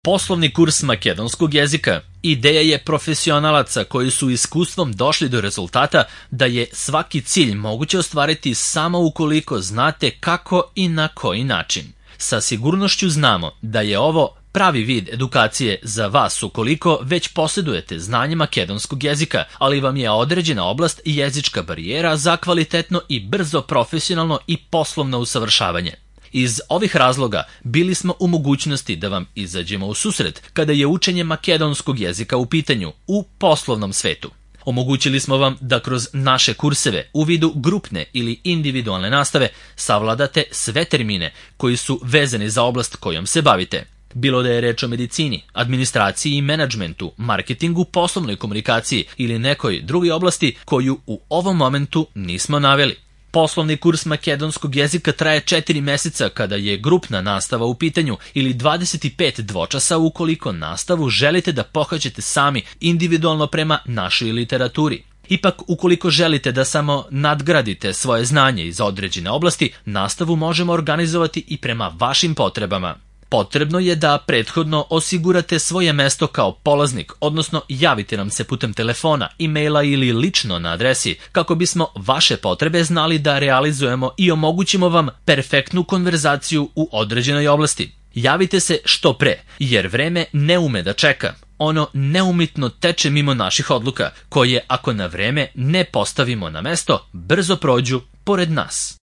Poslovni kurs makedonskog jezika ideja je profesionalaca koji su iskustvom došli do rezultata da je svaki cilj moguće ostvariti samo ukoliko znate kako i na koji način. Sa sigurnošću znamo da je ovo pravi vid edukacije za vas ukoliko već posjedujete znanje makedonskog jezika, ali vam je određena oblast i jezička barijera za kvalitetno i brzo profesionalno i poslovno usavršavanje. Iz ovih razloga bili smo u mogućnosti da vam izađemo u susret kada je učenje makedonskog jezika u pitanju u poslovnom svetu. Omogućili smo vam da kroz naše kurseve u vidu grupne ili individualne nastave savladate sve termine koji su vezani za oblast kojom se bavite. Bilo da je reč o medicini, administraciji i menadžmentu, marketingu, poslovnoj komunikaciji ili nekoj drugoj oblasti koju u ovom momentu nismo naveli. Poslovni kurs makedonskog jezika traje 4 meseca kada je grupna nastava u pitanju ili 25 dvočasa ukoliko nastavu želite da pohađate sami individualno prema našoj literaturi. Ipak, ukoliko želite da samo nadgradite svoje znanje iz određene oblasti, nastavu možemo organizovati i prema vašim potrebama. Potrebno je da prethodno osigurate svoje mesto kao polaznik, odnosno javite nam se putem telefona, e-maila ili lično na adresi kako bismo vaše potrebe znali da realizujemo i omogućimo vam perfektnu konverzaciju u određenoj oblasti. Javite se što pre, jer vreme ne ume da čeka. Ono neumitno teče mimo naših odluka, koje ako na vreme ne postavimo na mesto, brzo prođu pored nas.